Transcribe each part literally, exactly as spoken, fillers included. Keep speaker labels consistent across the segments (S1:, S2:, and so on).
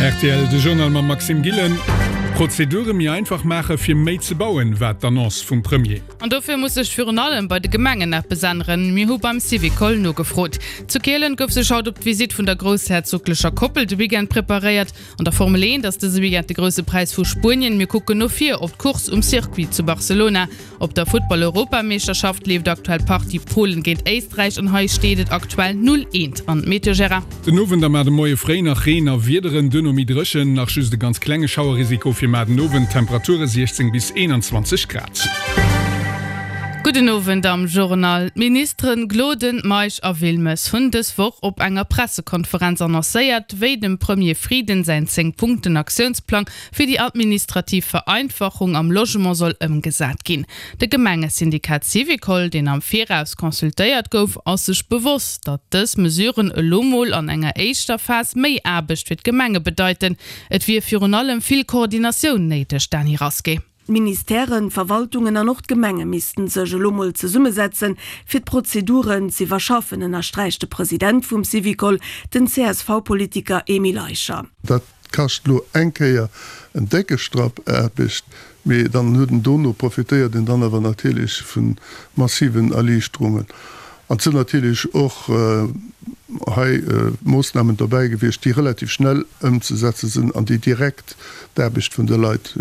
S1: Rtl, De Journal mam Maxime Gillen. Prozedure méi einfach maache fir méi ze bauen, war d'Annonce vum Premier.
S2: An dofir muss sech virun allem bei de Gemengen eppes änneren. Mir hu beim Syvicol nogefrot. Zu Kielen gouf sech haut op d'Visitt vun der groussherzoglecher Koppel de Weekend preparéiert. An der Formel eent ass dëse Weekend de Grousse Präis vu Spuenien. Mir kucken no vir op d'Course um Circuit zu Barcelona. Op der Futtball-Europameeschterschaft leeft aktuell d'Partie Polen géint Éisträich an hei steet et aktuell null, eent. An d'Meteo, Gérard?
S1: Den Owend a mar de Moie fréi nach Reen a Wiederen, duerno méi dréchen, nach just e ganz klenge Schauerrisiko fir mar den Owend, Temperature siechzéng bis eenanzwanzeg Grad.
S2: Gudden Owend am Journal. D'Ministeren Gloden, Meisch a Wilmes hunn dës Woch op enger Pressekonferenz annoncéiert, wéi dem Premier Frieden säin Zéng-Punkten-Aktiounsplang fir déi administrativ Vereinfachung am Logement soll ëmgesat ginn. De Gemengesyndikat Syvicol, deen am Viraus consultéiert gouf, ass sech bewosst, datt dës Mesuren elo mol an enger éischter Phas méi Aarbecht fir d'Gemenge bedeiten. Et wier virun allem vill Koordinatioun néideg, Dany Rasqué.
S3: D'Ministèren, d'Verwaltungen an och d'Gemenge missten sech elo mol zesummesetzen, fir d'Prozeduren z'iwwerschaffen, ënnersträicht de President vum Syvicol, den C S V-Politiker Emile Eicher.
S4: Dat kascht elo eng Kéier en décke Strapp Aarbecht, mee dann huet en dono, profitéiert en dann awer natierlech vu massiven Erliichterungen. An et sinn natierlech och hei Moossnamen dobäi gewiescht, déi relativ schnell ëmzesetze sinn an déi direkt d'Aarbecht vun de Leit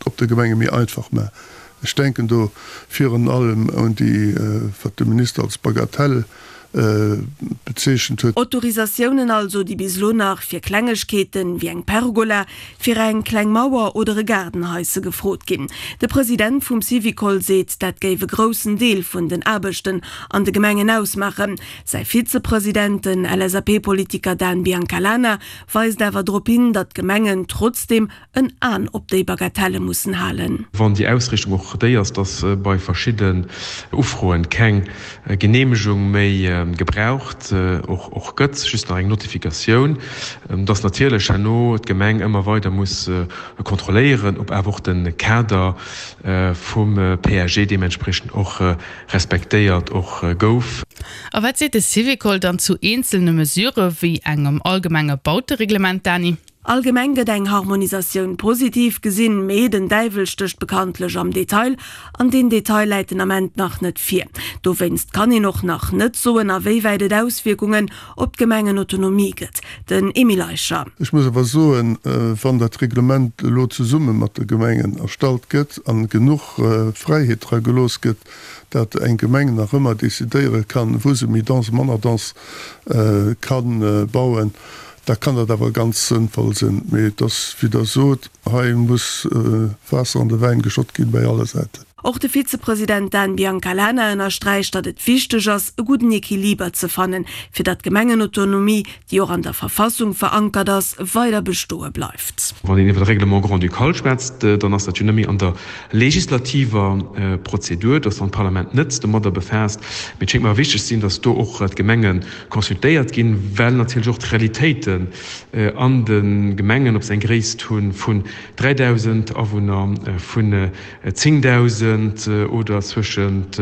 S4: op de Gemenge méi einfach maachen. Ech denken do virun allem un déi, wat de Minister als Bagatelle bezeechent huet.
S3: Autorisatiounen also, déi bis elo nach fir Klengegkeeten, wéi eng Pergola, fir eng kleng Mauer oder e Gaardenhaisse gefrot ginn. De President vum Syvicol seet, dat géif e groussen Deel vun den Aarbechten an de Gemengen ausmaachen. Säi Vizepresident, den L S A P-Politiker Dan Biancalana, weist awer drop hin, datt d'Gemengen trotzdeem en An op déi Bagatelle mussen halen.
S5: Wann déi Ausriichtung och déi ass, datt bei verschidden Ufroen keng Geneemegung méi gebraucht och gëtt, just nach eng Notifikatioun, datt natierlech herno d'Gemeng ëmmer weider muss kontrolléieren, ob awer och de Kader vum P A G deementspriechend och respektéiert och gouf.
S2: A wat seet de Syvicol dann zu eenzelne Mesurë wéi engem allgemenge Bautereglement, Dany?
S3: Allgemeng gëtt eng Harmonisatioun positiv gesinn, mee den Däiwel stécht bekanntlech am Detail, an deen Detail läit den Ament nach net vir. Dowéinst kann een och nach net soen, a wéi wäit et Auswierkungen op d'Gemengenautonomie gëtt. Den Emile Eicher.
S4: Ech muss awer soen, wann dat Reglement elo zesumme mat de Gemengen erstallt gëtt an genuch Fräiheet dra gelooss gëtt, dat eng Gemeng nach ëmmer decidéiere kann, wou se méi dense, manner dense kann bauen, da kann dat awer ganz sënnvoll sinn. Mee et ass, wéi Der sot, hei muss Waasser an de Wäin geschott ginn, bei alle Säiten.
S3: Och de Vizepresident Dan Biancalana ënnersträicht, datt et wichteg ass, e gudden Equiliber ze fannen, fir datt d'Gemengenautonomie, déi och an der Verfassung verankert ass, weider bestoe bleift.
S5: Wann een iwwer e Règlement grand-ducal schwätzt, dann ass dat jo net méi an der legislativer Prozedur, dass dann d'Parlament net domadder befaasst. Mee et schéngt mer awer wichteg ze sinn, dass do och d'Gemenge consultéiert ginn, well natierlech och d'Realitéiten an de Gemengen, ob se eng Gréisst hu vun dräidausend Awunner, vun zéngdausend oder zwëschent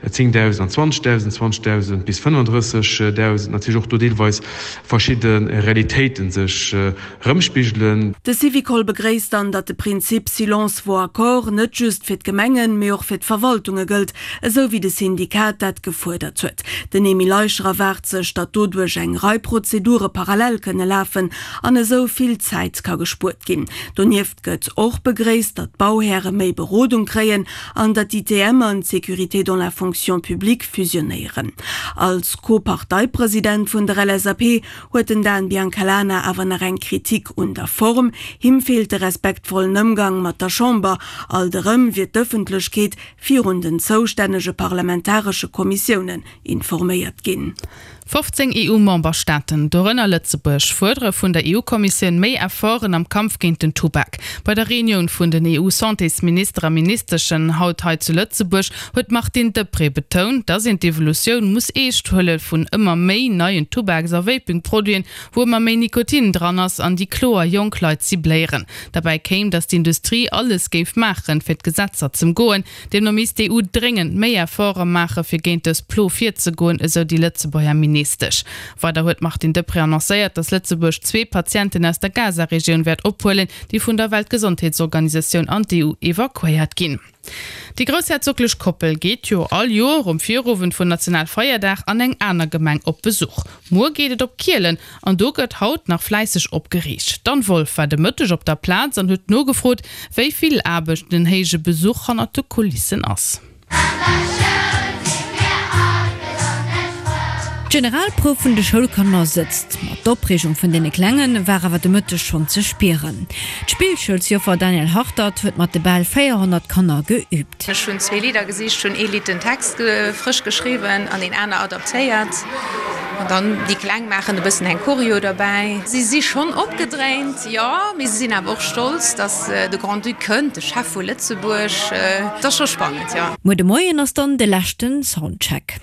S5: zéngdausend an zwanzegdausend, zwanzegdausend bis fënnefandrëssegdausend, natierlech och do deelweis verschidde Realitéite sech erëmspigelen.
S3: De Syvicol begréisst dann, datt de Prinzip Silence vaut accord net just fir d'Gemengen, mee och fir d'Verwaltunge gëllt, esou wéi de Syndikat dat gefuerdert huet. Den Emile Eicher erwaart sech, datt doduerch eng Rei Prozedure parallel kënne lafen an esou vill Zäit ka gespuert ginn. Donieft gëtt och begréisst, datt d'Bauhäre méi Berodung kréien an datt d'I T M an d'Sécurité dans la fonction publique fusionéieren. Als Co-Parteipresident vun der L S A P huet den Dan Biancalana awer nach eng Kritik un der Form. Him feelt de respektvollen Ëmgang mat der Chamber. Alt erëm wier d'Ëffentlechkeet virun den zoustännege parlamentaresche Kommissiounen informéiert ginn.
S2: fofzéng E U-Memberstaaten, dorënner Lëtzebuerg, fuerdere vun der E U-Kommissioun méi Efforten am Kampf géint den Tubak. Bei der Reunioun vun den E U-Santésminister a ministeschen haut hei zu Lëtzebuerg huet d'Martine Deprez betount, datt een d'Evolutioun muss eescht huele vun ëmmer méi neien Tubaks a Vaping-Produiten, wou ëmmer méi Nikotin dran ass an déi kloer jonk Leit cibléieren. Derbäi kéim, datt d'Industrie alles géif maachen, fir d'Gesetzer z'ëmgoen. Deemno misst d'E U dréngend méi Efforte maachen, fir géint dës Plo virzegoen, esou déi Lëtzebuerger Ministesch. Ministesch. Weider huet d'Martine Deprez annoncéiert, datt Lëtzebuerg zwee Patienten aus der Gaza-Regioun wäert ophuelen, déi vun der Weltgesondheetsorganisatioun an d'EU evakuéiert ginn. Déi groussherzoglech Koppel geet jo all Joer um Virowend vun Nationalfeierdag an eng aner Gemeng op Besuch. Muer geet et op Kielen an do gëtt haut nach fläisseg opgeriicht. D'Anne Wolff war de Mëtteg op der Plaz an huet nogefrot, wéi vill Aarbecht den héije Besuch hannert de Kulissen ass.
S6: D'Generalprouf vun de Schoulkanner sëtzt, ma d'Opreegung vun deene Klenge war awer de Mëtteg schonn ze spieren. D'Spillschoulsjoffer Danièle Hartert huet mat de bal véierhonnert Kanner geüübt.
S7: Ech hunn zwee Lidder gesicht, hunn ee Lidd den Text frësch geschriwwen an een aner adaptéiert. An dann déi Kleng maachen e bëssen eng Choreo derbäi. Si si schonn opgedréint, jo, mee si sinn awer och stolz, dass de Grand-Duc kënnt, de Chef vu Lëtzebuerg. Et ass scho spannend, jo.
S6: Muer de Moien ass dann de leschten Soundcheck.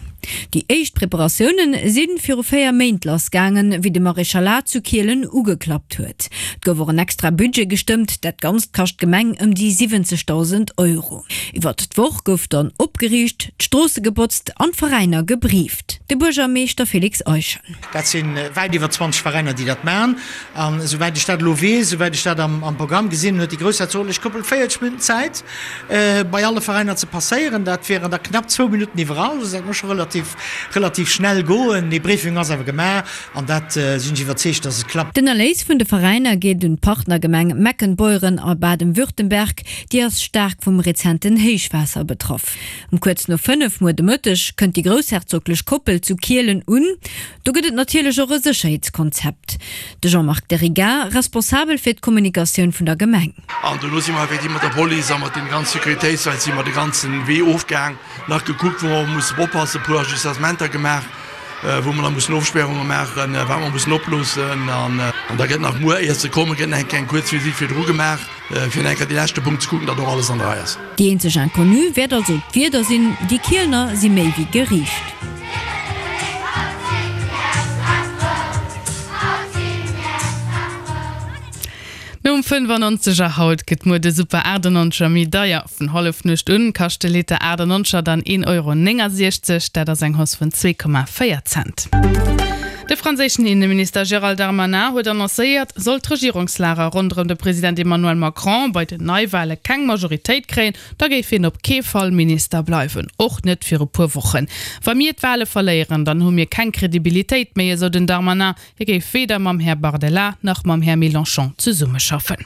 S6: Déi éischt Preparatioune si viru véier Méint lass gaangen, wéi de Maréchalat zu Kielen ugeklappt huet. Et gouf och en extra Budget gestëmmt, dat Ganzt kascht d'Gemeng ëm déi siwwenzegdausend Euro. Iwwert d'Woch gouf dann opgeriicht, d'Stroosse gebotzt an d'Veräiner gebrieft. De Buergermeeschter Félix Eischen.
S8: Dat si wäit iwwer zwanzeg Veräiner, déi dat maachen. An esouwäit ech dat elo weess, esouwäit ech dat am Programm gesinn hunn, huet déi groussherzoglech Koppel véierzeg Minutten Zäit, bei alle Veräiner ze passéieren. Dat wieren da knapp zwou Minutten iwwerall. Also dat muss scho relativ, relativ schnell goen. Dee Briefing ass awer gemaach an dat sinn ech iwwerzeegt, dass et klappt.
S6: Den Erléis vun de Veräiner geet un d'Partnergemeng Meckenbeuren a Baden-Württemberg. Déi ass staark vum rezenten Héichwaasser betraff. Um kuerz no fënnef muer de Mëtteg kënnt déi groussherzoglech Koppel zu Kielen un. Do gëtt et natierlech och e Sécherheetskonzept. De Jean-Marc Derigat, responsabel fir d'Kommunikatioun vun der Gemeng.
S9: An dono si mer effektiv mat der Police a mat den ganzen Sécuritéitsleit si mer de ganzen Wee ofgaang, nach gekuckt wou mer mussen oppassen, e puer Ajustementer gemaach, wou mer nach mussen Ofspärunge maachen, wat mer mussen oploossen. An da gëtt nach muer, éier se kommen, gëtt nach eng kleng kuerz Visitt virdru gemaach, fir nach eng Kéier dee leschte Punkt ze kucken, datt och alles an der Rei ass.
S6: Déi eenzeg Inconnue wäert also d'Wieder sinn. Déi Kielener si méi wéi geriicht.
S2: Nom fënnfannonzeger haut gëtt muer de Super achtannonzeger méi deier. Vun Hallefnuecht un kascht de Liter achtannonzeger dann een Euro néngasiechzeg, dat ass eng Hausse vun zwee Komma véier Cent. De franséischen Inneminister Gérald Darmanin huet annoncéiert, sollt d'Regierungslager ronderëm de President Emmanuel Macron bei den Neiwale keng Majoritéit kréien, da géif hien op kee Fall Minister bleiwen, och net fir e puer Wochen. Wa mir d'Wale verléieren, dann hu mir keng Kredibilitéit méi, esou den Darmanin. Hie géif weder mam Här Bardella nach mam Här Mélenchon zesummeschaffen.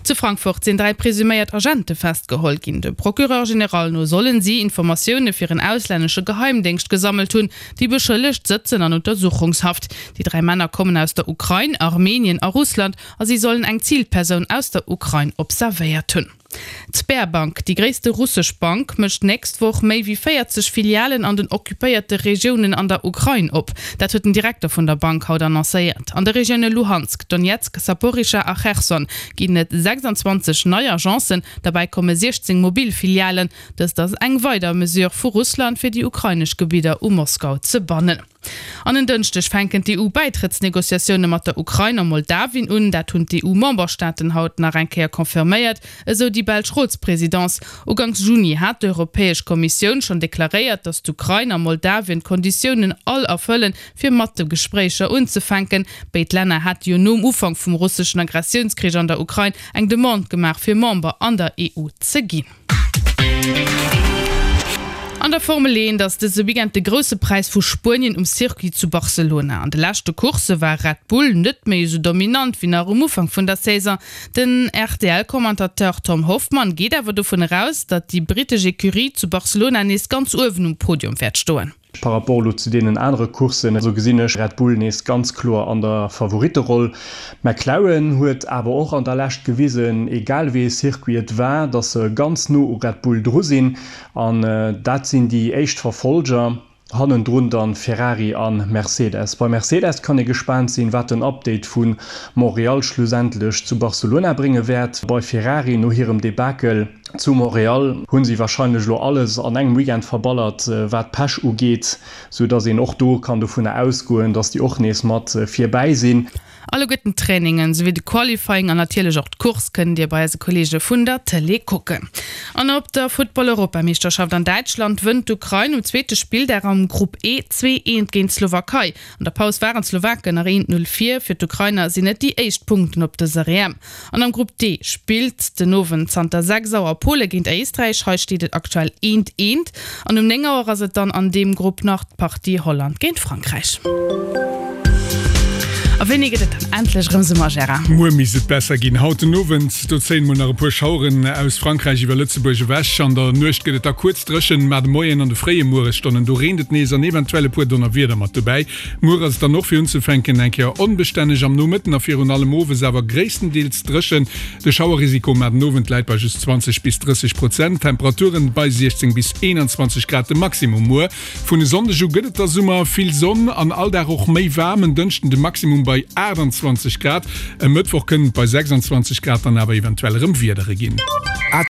S2: Zu Frankfurt sinn dräi presuméiert Agente festgeholl ginn. Dem Procureur général no sollen si Informatioune fir en auslännesche Geheimdéngscht gesammelt hunn. Déi Beschëllegt sëtzen an Untersuchungshaft. Déi dräi Männer kommen aus der Ukrain, Armenien a Russland a si sollen eng Zilpersoun aus der Ukrain observéiert hunn. D'Sberbank, déi gréisste russesch Bank, mécht d'nächst Woch méi wéi véierzeg Filialen an den occupéierte Regiounen an der Ukrain op. Dat huet den Direkter vun der Bank haut annoncéiert. An de Regioune Luhansk, Donetsk, Saporischschja a Cherson ginn et sechsandzwanzeg nei Agencen, derbäi komme siechzéng mobil Filialen. Dëst ass eng weider Mesure vu Russland, fir déi ukrainesch Gebidder u Moskau ze bannen. An en Dënschdeg fänken d'EU-Bäitrëttsnegociatioune mat der Ukrain a Moldawien un. Dat hunn d'EU-Memberstaaten haut nach eng Kéier confirméiert, esou déi belsch Rotspresidence. Uganks Juni hat d'Europäesch Kommissioun schonn deklaréiert, datt d'Ukrain a Moldawien d'Konditiounen all erfëllen, fir mat de Gespréicher unzefänken. Béid Länner hate jo nom Ufank vum russeschen Agressiounskrich an der Ukrain eng Demande gemaach, fir Member an der E U ze ginn. An der Formel eent ass dëse Weekend de Grousse Präis vu Spuenien um Circuit zu Barcelona. An de leschte Coursse war Red Bull net méi esou dominant wéi nach um Ufank vun der Saison. Den R T L-Commentateur Tom Hoffmann geet awer dovun eraus, datt déi brittesch Ecurie zu Barcelona nees ganz uewen um Podium wäert stoen.
S10: Par rapport elo zu deenen anere Courssen, esou gesinn ech Red Bull nees ganz kloer an der Favoritteroll. McLaren huet awer och an der Lescht gewisen, egal wéi ee Circuit et war, datt se ganz no u Red Bull dru sinn. An dat sinn déi éischt Verfolger. Hannendrun dann Ferrari a Mercedes. Bei Mercedes kann ee gespaant sinn, wat den Update vu Montréal schlussendlech zu Barcelona brénge wäert. Bei Ferrari, no hirem Debakel Zu Montréal hu si warscheinlech elo alles an engem Weekend verballert, wat Pech ugeet, sou dass een och do kann dovunner ausgoen, dass déi och nees mat virbäi sinn.
S2: Alleguerten d'Trainingen, souwéi de Qualifying an natierlech och d'Course kënnt Dir bei eise Kolleege vun der Tëlee kucken. An op der Futtball-Europameeschterschaft an Däitschland wënnt d'Ukrain um zweete Spilldag am Grupp E zwee eent géint d'Slowakei. An der Paus waren d'Slowaken nach eent Null vir. Fir d'Ukrainer sinn et déi éischt Punkten op dëser E M. An am Grupp D spillt den Owend zanter sechs Auer Pole géint Éisträich. Hei steet et aktuell eent eent. An um néng Auer ass et dann an deem Grupp nach d'Partie Holland géint Frankräich. A wéini gëtt et dann endlech erëm Summer, Gérard?
S1: Muer misst et besser ginn. Haut den Owend, do zéien mol nach e puer Schaueren aus Frankräich iwwer Lëtzebuerg ewech. An der Nuecht gëtt et da kuerz dréchen, ma de Moien an de fréie Mueresstonnen, do reent et nees an eventuell e puer Donnerwieder mat dobäi. Muer ass et dann och fir unzefänken eng Kéier onbestänneg, am Nomëtten a virun allem owes awer gréisstendeels dréchen. De Schauerrisiko mar den Owend läit bei just zwanzeg bis drësseg Prozent, Temperaturen bei siechzéng bis eenanzwanzeg Grad de Maximum. Muer vun e Sonndeg u gëtt et da Summer, vill Sonn an all Dag och méi waarm, en Dënschden de Maximum bei aachtanzwanzeg Grad, e Mëttwoch kënnen et bei sechsanzwanzeg Grad dann awer eventuell erëm Wiedere ginn.